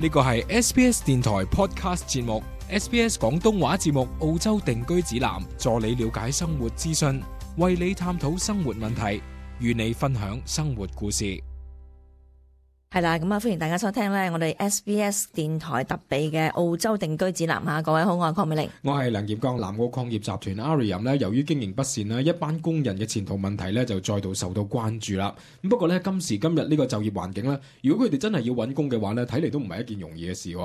呢個係 SBS 電台 Podcast 節目 SBS 廣東話節目澳洲定居指南，助你了解生活資訊，為你探討生活問題，與你分享生活故事。係啦，咁歡迎大家收聽我哋 SBS 電台特備嘅澳洲定居指南吓。各位好，我係鄺美玲，我係梁業剛。南澳礦業集團 Arium 由於經營不善一班工人嘅前途問題就再度受到關注啦。不過今時今日呢個就業環境如果佢哋真係要揾工嘅話睇嚟都唔係一件容易嘅事。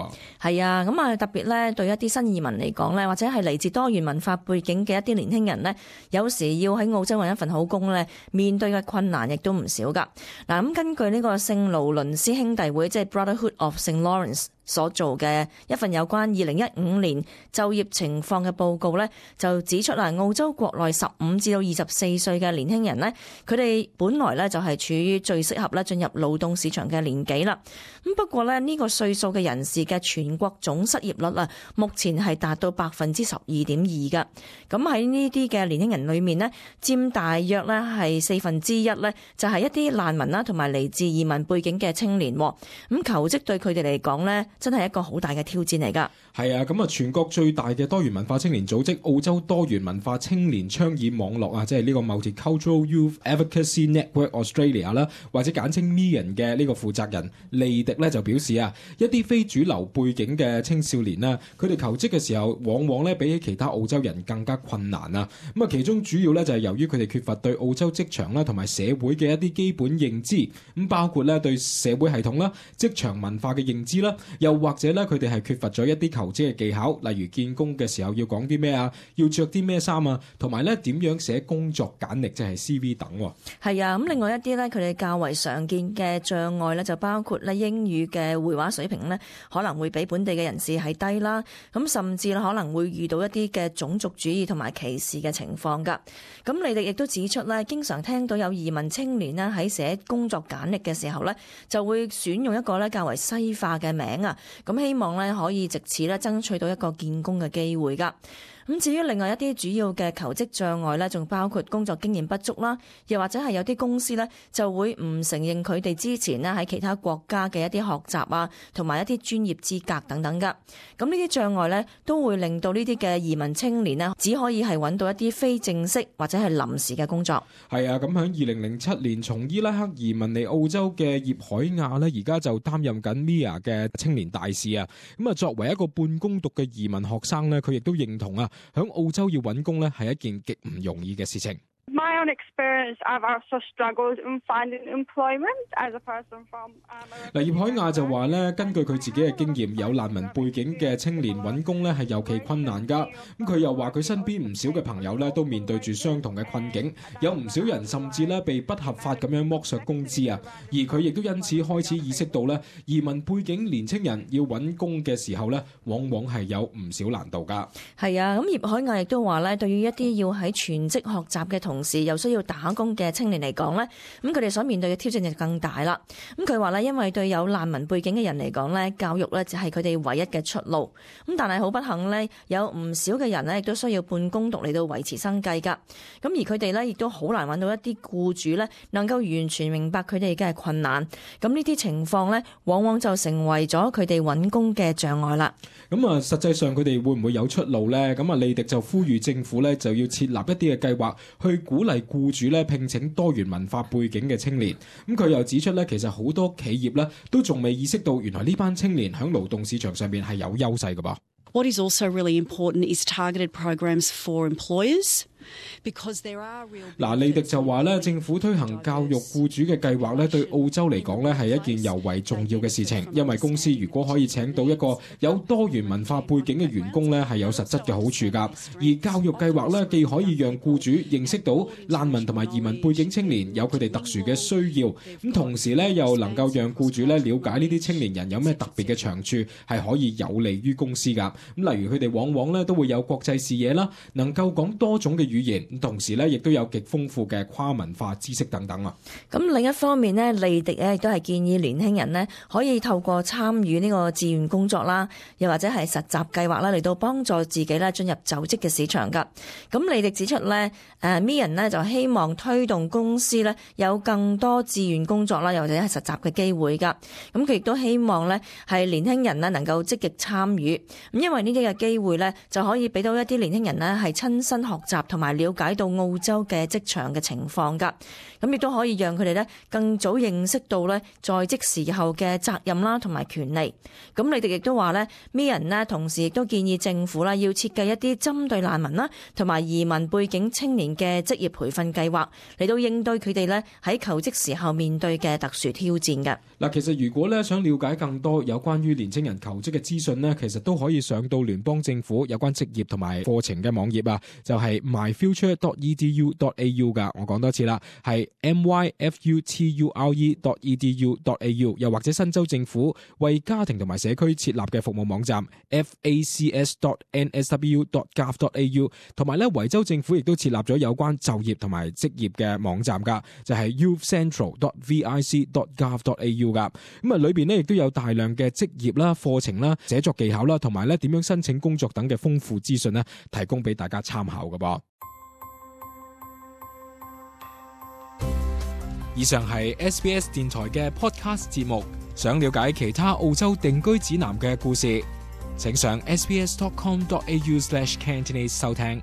係啊，咁特別對一啲新移民嚟講或者係嚟自多元文化背景嘅一啲年輕人有時要喺澳洲揾一份好工面對嘅困難亦都唔少噶。嗱，咁根據呢個聖勞倫斯兄弟會，即係 Brotherhood of St. Lawrence 所做嘅一份有關2015年就業情況嘅報告就指出澳洲國內15至到24歲嘅年輕人佢哋本來就係處於最適合進入勞動市場嘅年紀啦。咁不過呢個歲數嘅人士嘅全國總失業率目前係達到 12.2% 噶。咁喺呢啲嘅年輕人裏面佔大約係1/4就係一啲難民啦，同埋嚟自移民背景嘅青年。咁求職對佢哋嚟講真係一個好大嘅挑戰嚟噶。係啊，咁全國最大嘅多元文化青年組織澳洲多元文化青年倡議網絡即係呢個 Multicultural Youth Advocacy Network Australia 啦，或者簡稱 MEAN 嘅呢個負責人利迪就表示一啲非主流背景嘅青少年佢哋求職嘅時候往往比起其他澳洲人更加困難啊。咁其中主要就係由於佢哋缺乏對澳洲職場啦同埋社會嘅一啲基本認知，咁包括對社會系統啦、職場文化嘅認知啦，又或者佢哋係缺乏咗一啲求職嘅技巧，例如見工嘅時候要講啲咩要着啲咩衫同埋點樣寫工作簡歷，即係 CV 等。係啊，咁另外一啲佢哋較為常見嘅障礙就包括英語嘅會話水平可能會比本地嘅人士係低啦，咁甚至可能會遇到一啲嘅種族主義同埋歧視嘅情況噶。咁你哋亦都指出經常聽到有移民青年喺寫工作簡歷嘅時候就會選用一個較為西化嘅名咁希望可以藉此爭取到一個見工嘅機會噶。咁至於另外一啲主要嘅求職障礙仲包括工作經驗不足啦，又或者係有啲公司就會唔承認佢哋之前喺其他國家嘅一啲學習同埋一啲專業資格等等噶。咁呢啲障礙都會令到呢啲嘅移民青年只可以係揾到一啲非正式或者係臨時嘅工作。係啊，咁喺2007年從伊拉克移民嚟澳洲嘅葉海亞而家就擔任緊 MIA 嘅青年大使啊。咁作為一個半工讀嘅移民學生佢亦都認同響澳洲要揾工係一件極唔容易嘅事情。My own experience, I've also struggled in finding employment as a person from 葉海亞就話根據佢自己嘅經驗，有難民背景嘅青年揾工係尤其困難噶。咁佢又話佢身邊唔少嘅朋友都面對住相同嘅困境，有唔少人甚至被不合法咁樣剝削工資啊。而佢亦都因此開始意識到移民背景年青人要揾工嘅時候往往係有唔少難度噶。係啊，咁葉海亞亦都話對於一啲要喺全職學習嘅同時又需要打工嘅青年嚟講咁佢哋所面對嘅挑戰就更大啦。咁佢話因為對有難民背景嘅人嚟講教育就係佢哋唯一嘅出路。咁但係好不幸有唔少嘅人亦都需要半工讀嚟到維持生計噶。咁而佢哋亦都好難揾到一啲僱主能夠完全明白佢哋嘅困難。咁呢啲情況往往就成為咗佢哋揾工嘅障礙啦。咁實際上佢哋會唔會有出路呢？咁利迪就呼籲政府就要設立一啲嘅計劃去鼓勵僱主聘請多元文化背景嘅青年。咁佢又指出其實好多企業都仲未意識到原來呢班青年喺勞動市場上面係有優勢㗎噃。What is also really important is targeted programs for employers. 利迪就話政府推行教育僱主嘅計劃對澳洲嚟講係一件尤為重要嘅事情，因為公司如果可以請到一個有多元文化背景嘅員工係有實質嘅好處噶。而教育計劃既可以讓僱主認識到難民同埋移民背景青年有佢哋特殊嘅需要，咁同時又能夠讓僱主了解呢啲青年人有咩特別嘅長處，係可以有利於公司噶。咁例如佢哋往往都會有國際視野啦，能夠講多種嘅語言，同時咧亦都有極豐富嘅跨文化知識等等啊。咁另一方面呢，利迪亦都係建議年輕人呢可以透過參與呢個志願工作啦，又或者係實習計劃啦，嚟到幫助自己咧進入就職嘅市場㗎。咁利迪指出呢，Meehan 呢就希望推動公司呢有更多志願工作啦，又或者係實習嘅機會㗎。咁佢亦都希望呢係年輕人呢能夠積極參與，咁因為呢啲嘅機會呢就可以俾到一啲年輕人呢係親身學習同埋了解到澳洲嘅職場嘅情況㗎。咁亦都可以讓佢哋呢更早認識到呢在職時候嘅責任啦同埋權利。咁你哋亦都話呢 Meehan 呢同時亦都建議政府啦要設計一啲針對難民啦同埋移民背景青年嘅職業培訓計劃，嚟到應對佢哋呢喺求職時候面對嘅特殊挑戰嘅。嗱，其實如果咧想了解更多有關於年青人求職嘅資訊呢，其實都可以上到聯邦政府有關職業同埋課程嘅網頁啊，就係 myfuture.edu.au 噶。我講多次啦，係 myfuture.edu.au， 又或者新州政府為家庭同埋社區設立嘅服務網站 facs.nsw.gov.au， 同埋咧維州政府亦都設立咗有關就業同埋職業嘅網站噶，就係 youthcentral.vic.gov.au 噶。咁啊，裏邊咧亦都有大量嘅職業啦、課程啦、寫作技巧啦，同埋咧點樣申請工作等嘅豐富資訊咧，提供俾大家參考噶噃。以上係 SBS 電台嘅 podcast 節目。想了解其他澳洲定居指南嘅故事，請上 sbs.com.au/Cantonese 收聽。